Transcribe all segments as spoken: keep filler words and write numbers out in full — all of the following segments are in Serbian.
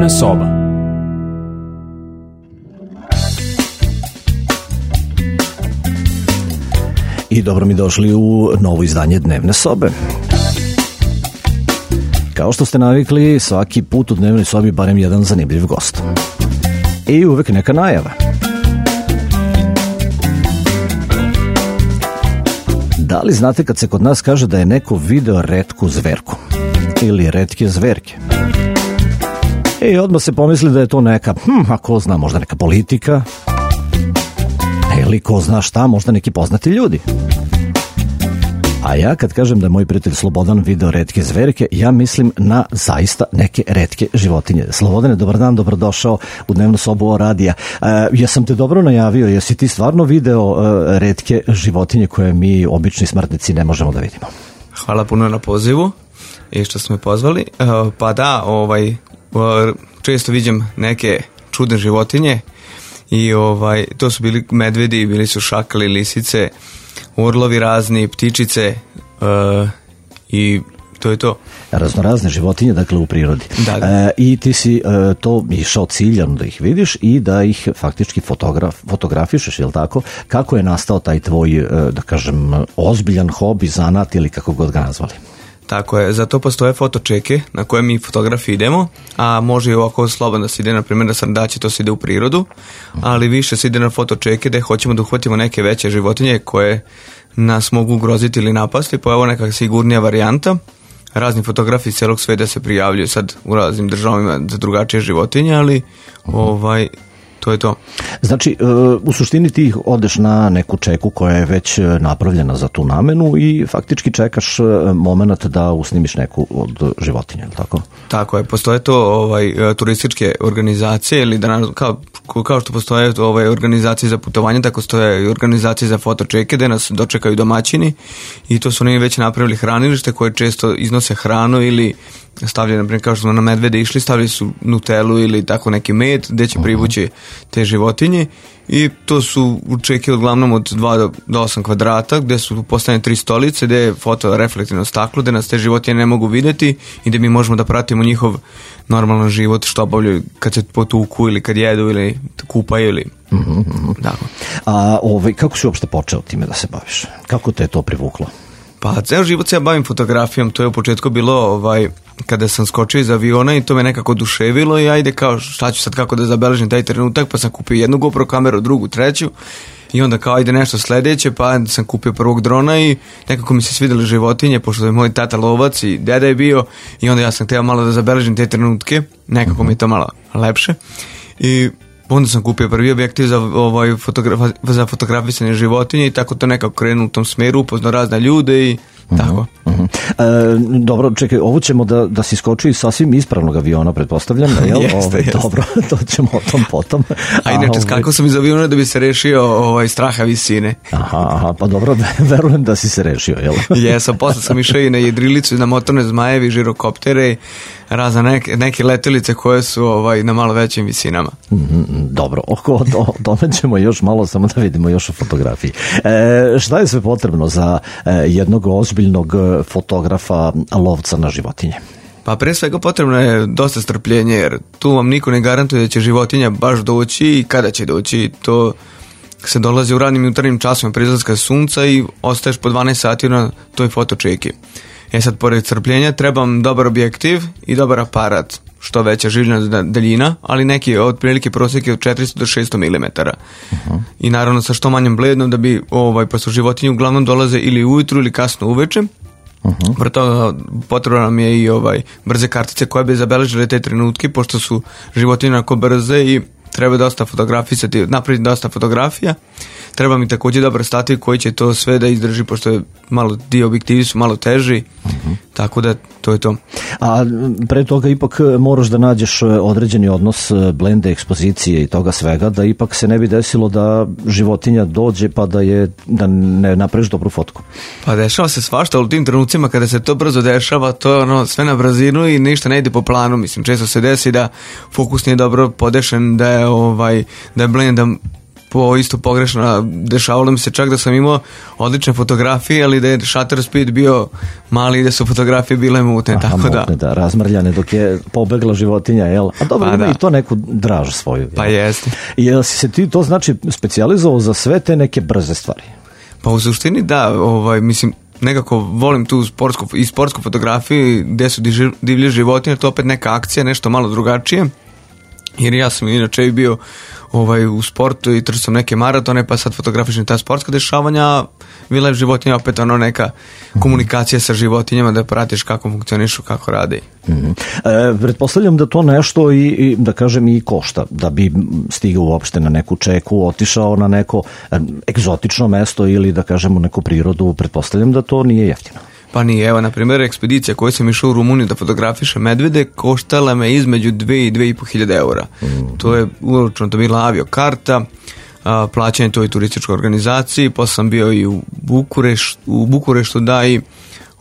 Dnevna soba. I dobro mi došli u novo izdanje Dnevne sobe. Kao što ste navikli, svaki put u Dnevnoj sobi barem jedan zanimljiv gost. I uvek neka najava. Da li znate kad se kod nas kaže da je neko video retku zverku? Ili retke zverke? I odmah se pomisli da je to neka, hm, a ko zna, možda neka politika, ili ko zna šta, možda neki poznati ljudi. A ja kad kažem da je moj prijatelj Slobodan video retke zverke, ja mislim na zaista neke retke životinje. Slobodane, dobar dan, dobrodošao u Dnevnu sobu radija. E, jesam te dobro najavio, jesi ti stvarno video e, retke životinje koje mi obični smrtnici ne možemo da vidimo? Hvala puno na pozivu i što ste me pozvali. E, pa da, ovaj, često viđem neke čudne životinje i ovaj, to su bili medvedi, bili su šakali, lisice, orlovi razni, ptičice uh, i to je to. Raznorazne životinje, dakle, u prirodi. Da, da. E, I ti si e, to išao ciljano da ih vidiš i da ih faktički fotograf, fotografišeš, je li tako? Kako je nastao taj tvoj, e, da kažem, ozbiljan hobi, zanat ili kako god ga nazvali? Tako je, za to postoje fotočeke na koje mi fotografi idemo, a može i ovako slobodno da se ide, na primjer na srndaće, to se ide u prirodu, ali više se ide na fotočeke gde hoćemo da uhvatimo neke veće životinje koje nas mogu ugroziti ili napasti, pa evo neka sigurnija varijanta. Razni fotografi iz celog sveta se prijavljuju sad u raznim državama za drugačije životinje, ali ovaj... to je to. Znači, u suštini ti odeš na neku čeku koja je već napravljena za tu namenu i faktički čekaš moment da usnimiš neku od životinja, je li tako? Tako je, postoje to ovaj, turističke organizacije ili da, kao, kao što postoje ovaj, organizacije za putovanje, tako stoje i organizacije za fotočeke gde nas dočekaju domaćini i to su oni već napravili hranilište koje često iznose hranu ili stavljaju, na primjer, kao što smo na medvede išli, stavili su nutelu ili tako neki med gde će privući te životinje i to su čeke uglavnom od dva do osam kvadrata gde su postavljene tri stolice, gde je fotoreflektivno staklo, gde nas te životinje ne mogu videti i gde mi možemo da pratimo njihov normalan život, što obavljaju kad se potuku ili kad jedu ili kupaju ili mm-hmm. da. A ovaj, kako si uopšte počeo time da se baviš? Kako te je to privuklo? Pa ceo život se ja bavim fotografijom, to je u početku bilo ovaj, kada sam skočio iz aviona i to me nekako oduševilo i ajde kao šta ću sad kako da zabeležim taj trenutak, pa sam kupio jednu GoPro kameru, drugu, treću i onda kao ajde nešto sledeće, pa sam kupio prvog drona i nekako mi se svidjeli životinje, pošto je moj tata lovac i deda je bio i onda ja sam htio malo da zabeležim te trenutke, nekako mi je to malo lepše i onda sam kupio prvi objektiv za, ovaj, fotogra- za fotografisanje životinje i tako to nekako krenuo u tom smeru, upoznao razne ljude i tako. Uh-huh, uh-huh. E, dobro, čekaj, ovo ćemo da, da si skoči iz sasvim ispravnog aviona, pretpostavljam, jel? jeste, Ove, jeste. Dobro, to ćemo o tom potom. A inače, skakao sam iz aviona da bi se rešio ovaj, straha visine. Aha, aha, pa dobro, verujem da si se rešio, jel? Jesam, posle sam išao i na jedrilicu, na motorne zmajevi, žirokoptere, razne neke, neke letelice koje su ovaj, na malo većim visinama. Mm, dobro, oko to, tome ćemo još malo, samo da vidimo još u fotografiji. E, šta je sve potrebno za e, jednog ozbiljnog fotografa lovca na životinje? Pa pre svega potrebno je dosta strpljenje, jer tu vam niko ne garantuje da će životinja baš doći i kada će doći. To se dolazi u ranim jutarnjim časima pre izlaska sunca i ostaješ po dvanaest sati na toj fotočeki. E sad, pored strpljenja, trebam dobar objektiv i dobar aparat, što veća življena daljina, ali neki otprilike prosjek je od četiristo do šesto milimetara. Uh-huh. I naravno sa što manjom blednom da bi, ovaj, pa su životinje uglavnom dolaze ili ujutru ili kasno uveče. Uh-huh. Pre toga potrebno nam je i ovaj, brze kartice koje bi zabeležile te trenutke, pošto su životinje onako brze i treba dosta fotografisati, napraviti dosta fotografija. Treba mi također dobar stativ koji će to sve da izdrži, pošto je malo, dio objektivi su malo teži, uh-huh. tako da to je to. A pre toga ipak moraš da nađeš određeni odnos blende, ekspozicije i toga svega, da ipak se ne bi desilo da životinja dođe pa da je da ne napraviš dobru fotku. Pa dešava se svašta, ali u tim trenucima kada se to brzo dešava, to je ono sve na brzinu i ništa ne ide po planu. Mislim, često se desi da fokus nije dobro podešen, da je, ovaj, da je blenda po isto pogrešno. Dešavalo mi se čak da sam imao odlične fotografije, ali da je shutter speed bio mali i da su fotografije bile mutne. Aha, tako mutne, da. da, razmrljane dok je pobegla životinja, jel? A dobro, pa, ima da. i to neku draž svoju. Jel? Pa jeste. I jel si se ti to znači specijalizovao za sve te neke brze stvari? Pa u suštini da, ovaj, mislim, nekako volim tu sportsku, i sportsku fotografiju gde su divlje životinje, to opet neka akcija, nešto malo drugačije, jer ja sam inače bio ovaj, u sportu i trčao sam neke maratone, pa sad fotografišem ta sportska dešavanja, Vila životinja opet ono neka komunikacija sa životinjama, da pratiš kako funkcionišu, kako rade. Mm-hmm. E, pretpostavljam da to nešto i, i da kažem i košta, da bi stigao uopšte na neku čeku, otišao na neko egzotično mesto ili da kažem u neku prirodu, pretpostavljam da to nije jeftino. Pa nije, evo, na primjer, ekspedicija koju sam išao u Rumuniju da fotografišem medvede koštala me između dve i dve i po hiljade eura. Mm-hmm. To je uročno, to bila aviokarta, a, plaćanje toj turističkoj organizaciji, posle sam bio i u Bukureštu, u Bukureštu da i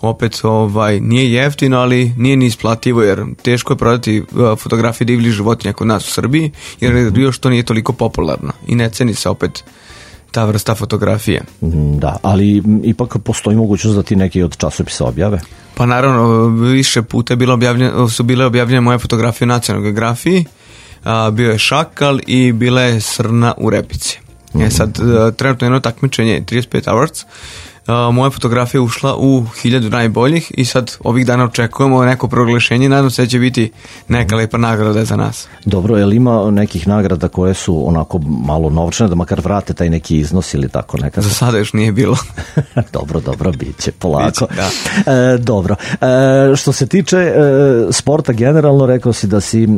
opet ovaj, nije jeftino, ali nije ni isplativo, jer teško je prodati fotografije divljih životinja kod nas u Srbiji, jer još to nije toliko popularno i ne ceni se opet ta vrsta fotografije. Da, ali ipak postoji mogućnost da ti neki od časopisa objave? Pa naravno, više puta je bilo objavljeno, su bile objavljene moje fotografije u Nacionalnoj geografiji, a, bio je šakal i bila je srna u repici. Mm-hmm. E sad, a, trenutno jedno takmičenje trideset pet Awards, a, moja fotografija ušla u hiljadu najboljih i sad ovih dana očekujemo neko proglašenje i nadam se da će biti neka lepa nagrada za nas. Dobro, je li ima nekih nagrada koje su onako malo novčane, da makar vrate taj neki iznos ili tako nekako? Za sada još nije bilo. dobro, dobro, bit će polako. Biće, da. E, dobro. E, što se tiče e, sporta generalno, rekao si da si e,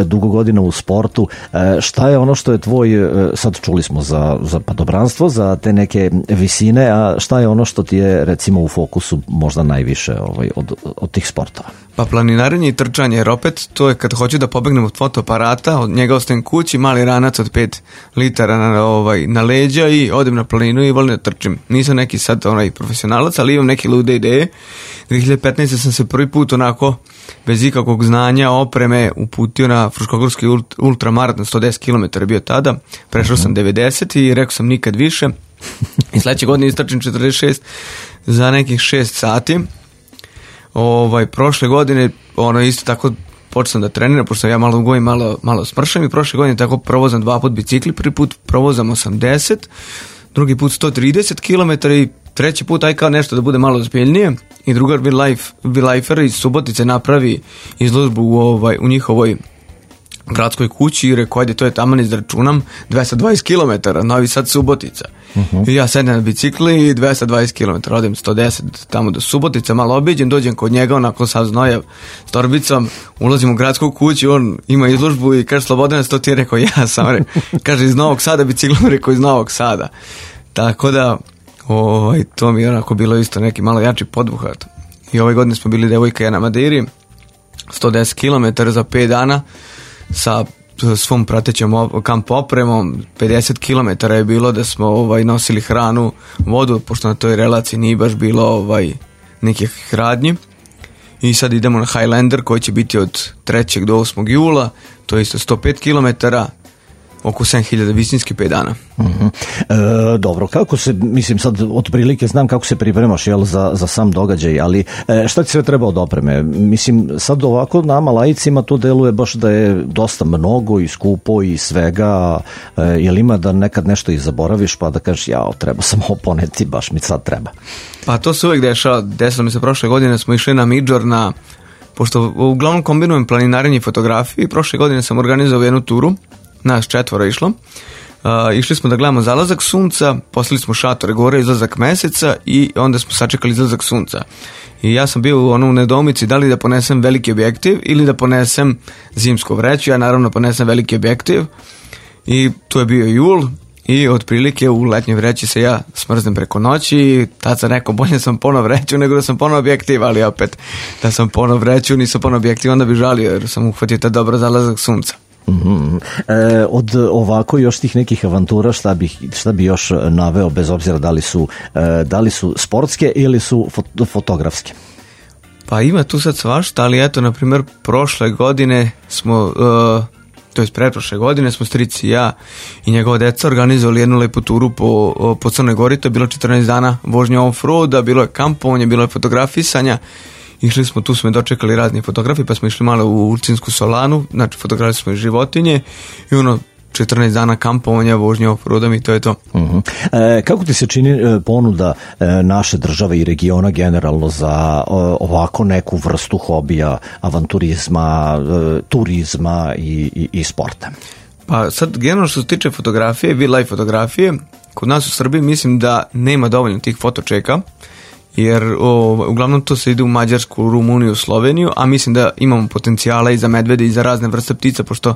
dugo godina u sportu. E, šta je ono što je tvoj, e, sad čuli smo za, za padobranstvo, za te neke visine, a šta je ono što ti je recimo u fokusu možda najviše ovaj, od, od tih sportova? Pa planinarenje i trčanje, jer opet to je kad hoću da pobegnem od fotoaparata, od njega ostajem kući, mali ranac od pet litara na, ovaj, na leđa i odem na planinu i volim da trčim. Nisam neki sad onaj profesionalac, ali imam neke lude ideje. dve hiljade petnaeste. sam se prvi put onako bez ikakvog znanja, opreme uputio na Fruškogorski ultramaraton, sto deset kilometara bio tada, prešao sam devedeset i rekao sam nikad više. I sledeće godine istračim četrdeset šest za nekih šest sati. Ovaj, prošle godine ono isto tako počeo sam da treniram, pošto sam ja malo ugojim, malo, malo smršam i prošle godine tako provozam dva put bicikli, prvi put provozam osamdeset, drugi put sto trideset kilometara i treći put aj kao nešto da bude malo ozbiljnije i drugar Vilajfer iz Subotice napravi izložbu u, ovaj, u njihovoj gradskoj kući i rekao, ajde, to je taman izračunam, dvesta dvadeset kilometara, Novi Sad Subotica. Uh-huh. I ja sedem na bicikli i dvesta dvadeset kilometara, odem sto deset tamo do Subotica, malo obiđem, dođem kod njega, onako sa znoja s torbicom, ulazim u gradsku kuću, on ima izložbu i kaže, Slobodan, sto ti je rekao, ja sam, re, kaže, iz Novog Sada biciklom, rekao, iz Novog Sada. Tako da, ovaj, to mi je onako bilo isto neki malo jači podvuhat. I ove godine smo bili devojka ja na Madeiri, sto deset kilometara za pet dana, sa svom pratećom kamp opremom, pedeset kilometara je bilo da smo ovaj, nosili hranu, vodu, pošto na toj relaciji nije baš bilo ovaj, nekih radnji. I sad idemo na Highlander koji će biti od trećeg do osmog jula, to je isto sto pet kilometara, oko sedam hiljada visinski pet dana. Uh-huh. E, dobro, kako se, mislim sad otprilike znam kako se pripremaš jel, za, za sam događaj, ali e, šta ti sve treba od opreme? Mislim, sad ovako nama laicima to deluje baš da je dosta mnogo i skupo i svega, e, jel ima da nekad nešto i zaboraviš pa da kažeš jao, treba sam ovo poneti, baš mi sad treba. Pa to se uvijek dešava, desilo mi se prošle godine, smo išli na Midžor na, pošto uglavnom kombinujem planinarenje i fotografiju i prošle godine sam organizovao jednu turu, nas četvora išlo. Uh, išli smo da gledamo zalazak sunca, poslali smo šatore gore, izlazak meseca i onda smo sačekali izlazak sunca. I ja sam bio ono, u nedoumici da li da ponesem veliki objektiv ili da ponesem zimsku vreću. Ja naravno ponesem veliki objektiv i tu je bio jul i otprilike u letnjoj vreći se ja smrznem preko noći i tad sam rekao bolje sam ponov vreću nego da sam ponov objektiv, ali opet da sam ponov vreću, nisam ponov objektiv, onda bi žalio jer sam uhvatio ta dobra zalazak sunca. Mm-hmm. E, od ovako još tih nekih avantura šta bi, šta bi još naveo bez obzira da li su, e, da li su sportske ili su fot- fotografske? Pa ima tu sad svašta, ali eto na primjer prošle godine smo uh, to je pretprošle godine, smo strici i ja i njegova deca organizovali jednu lepu turu po, po Crnoj Gori, to je bilo četrnaest dana vožnje off-roada, bilo je kampovanje, bilo je fotografisanja, išli smo, tu smo dočekali razni fotografi, pa smo išli malo u Ulcinsku solanu, znači fotografisali smo i životinje i ono, četrnaest dana kampovanja, vožnje off-roadom i to je to. Uh-huh. E, kako ti se čini e, ponuda e, naše države i regiona generalno za o, ovako neku vrstu hobija, avanturizma, e, turizma i, i, i sporta? Pa sad, generalno što se tiče fotografije, wildlife fotografije, kod nas u Srbiji mislim da nema dovoljno tih fotočeka, jer o, uglavnom to se ide u Mađarsku, Rumuniju, Sloveniju, a mislim da imamo potencijala i za medvede i za razne vrste ptica, pošto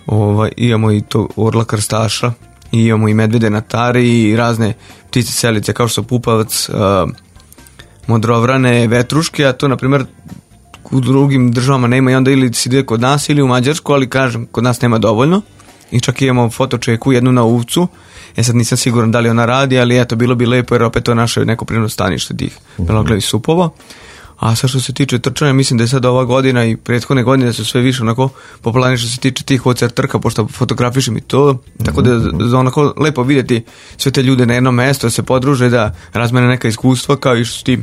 ovaj, imamo i to orla krstaša, i imamo i medvede na tari i razne ptice selice kao što su pupavac, uh, modrovrane, vetruške, a to na primjer u drugim državama nema i onda ili se ide kod nas ili u Mađarsku, ali kažem, kod nas nema dovoljno i čak imamo fotočeku jednu na Uvcu. Ja sad nisam siguran da li ona radi, ali eto, bilo bi lepo jer opet to je naše neko prirodno stanište tih beloglavih supova. A sad što se tiče trčanja, mislim da je sad ova godina i prethodne godine su sve više onako popularni što se tiče tih O C R trka, pošto fotografišem i to, tako da je onako lepo vidjeti sve te ljude na jednom mjestu, da se podruže, da razmene neka iskustva, kao i što su ti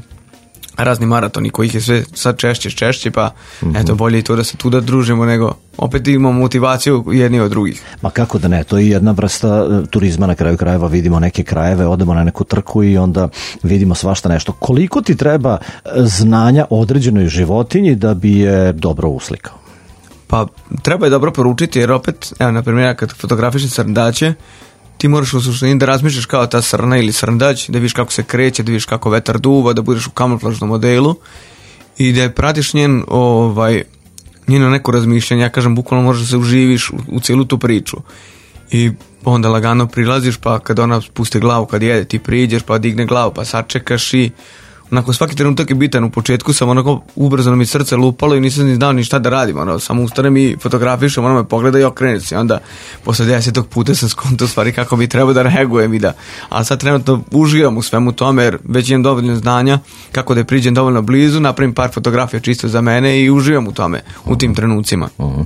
razni maratoni kojih je sve sad češće, češće, pa mm-hmm. eto, bolje i to da se tu da družimo, nego opet imamo motivaciju jedni od drugih. Ma kako da ne, to je jedna vrsta turizma, na kraju krajeva vidimo neke krajeve, odemo na neku trku i onda vidimo svašta nešto. Koliko ti treba znanja o određenoj životinji da bi je dobro uslikao? Pa treba je dobro poručiti, jer opet, evo, na primjer, kad fotografišem srndaće, ti moraš u suštini da razmišljaš kao ta srna ili srndać, da vidiš kako se kreće, da vidiš kako vetar duva, da budeš u kamuflažnom modelu i da pratiš njen, ovaj, njeno neko razmišljanje. Ja kažem, bukvalno možeš da se uživiš u, u cijelu tu priču. I onda lagano prilaziš, pa kad ona spusti glavu, kad jede, ti priđeš, pa digne glavu, pa sačekaš i onako svaki trenutak je bitan. U početku sam onako ubrzano mi srce lupalo i nisam ni znao ni šta da radim, ono, samo ustanem i fotografišem, ono me pogleda i okrene se. Onda posle desetog puta sam skontao stvari kako bi trebao da reagujem i da, ali sad trenutno uživam u svemu tome jer već imam dovoljno znanja kako da je priđem dovoljno blizu, napravim par fotografija čisto za mene i uživam u tome, u tim trenucima. Uh-huh.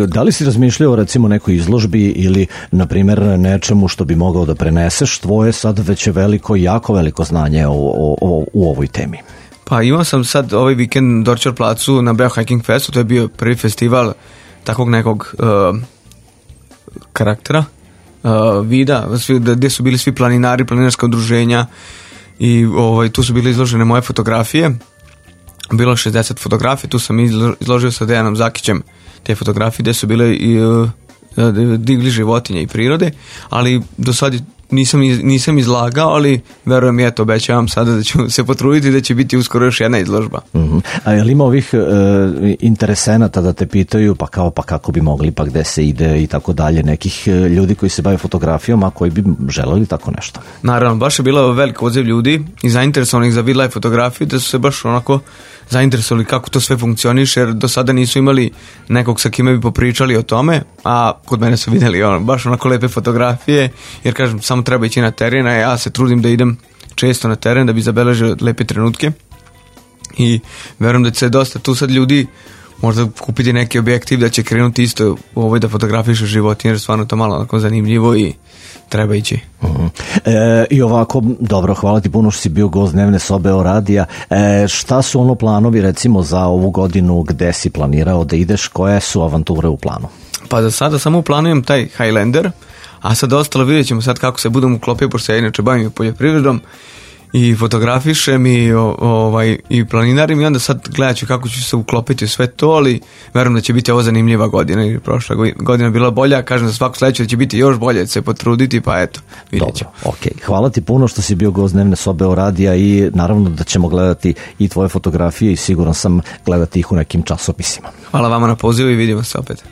E, da li si razmišljao recimo nekoj izložbi ili na primjer nečemu što bi mogao da preneseš tvoje sad već je veliko, jako veliko znanje o, o, o u ovoj temi? Pa imao sam sad ovaj vikend na Dorčar placu na Beo Hiking Festu, to je bio prvi festival takvog nekog uh, karaktera, uh, vida, svi, gdje su bili svi planinari, planinarska udruženja i ovaj, tu su bile izložene moje fotografije, bilo šezdeset fotografija, tu sam izložio sa Dejanom Zakićem te fotografije gdje su bile i uh, divlji životinje i prirode, ali do sad nisam, nisam izlagao, ali verujem i eto, obećavam sada da ću se potruditi da će biti uskoro još jedna izložba. Uh-huh. A je li ima ovih e, interesenata da te pitaju pa kao pa kako bi mogli, pa gde se ide i tako dalje, nekih ljudi koji se bave fotografijom, a koji bi želeli tako nešto? Naravno, baš je bila velika odziv ljudi i zainteresovanih za wildlife fotografiju, da su se baš onako zainteresovali kako to sve funkcioniše, jer do sada nisu imali nekog sa kime bi popričali o tome, a kod mene su vidjeli ono, baš onako lepe fotografije, jer kažem, samo treba ići na teren, a ja se trudim da idem često na teren da bi zabeležio lepe trenutke i verujem da će se dosta tu sad ljudi možda kupiti neki objektiv da će krenuti isto u ovoj da fotografiše životinje, jer stvarno to malo onako zanimljivo i treba ići. Uh-huh. E, I ovako, dobro, hvala ti puno što si bio gost Dnevne sobe o radija. E, šta su ono planovi recimo za ovu godinu, gde si planirao da ideš, koje su avanture u planu? Pa za sada samo planujem taj Highlander, a sad ostalo vidjet ćemo sad kako se budem uklopio, pošto ja inače bavim poljoprivredom i fotografišem i, o, ovaj, i planinarim i onda sad gledat ću kako ću se uklopiti u sve to, ali verujem da će biti ovo zanimljiva godina i prošla godina bila bolja, kažem za svaku sledeću da će biti još bolje, da će se potruditi, pa eto, vidjet ćemo. Dobro, ok. Hvala ti puno što si bio gost Dnevne sobe o radija i naravno da ćemo gledati i tvoje fotografije i siguran sam gledati ih u nekim časopisima. Hvala vama na pozivu i vidimo se opet.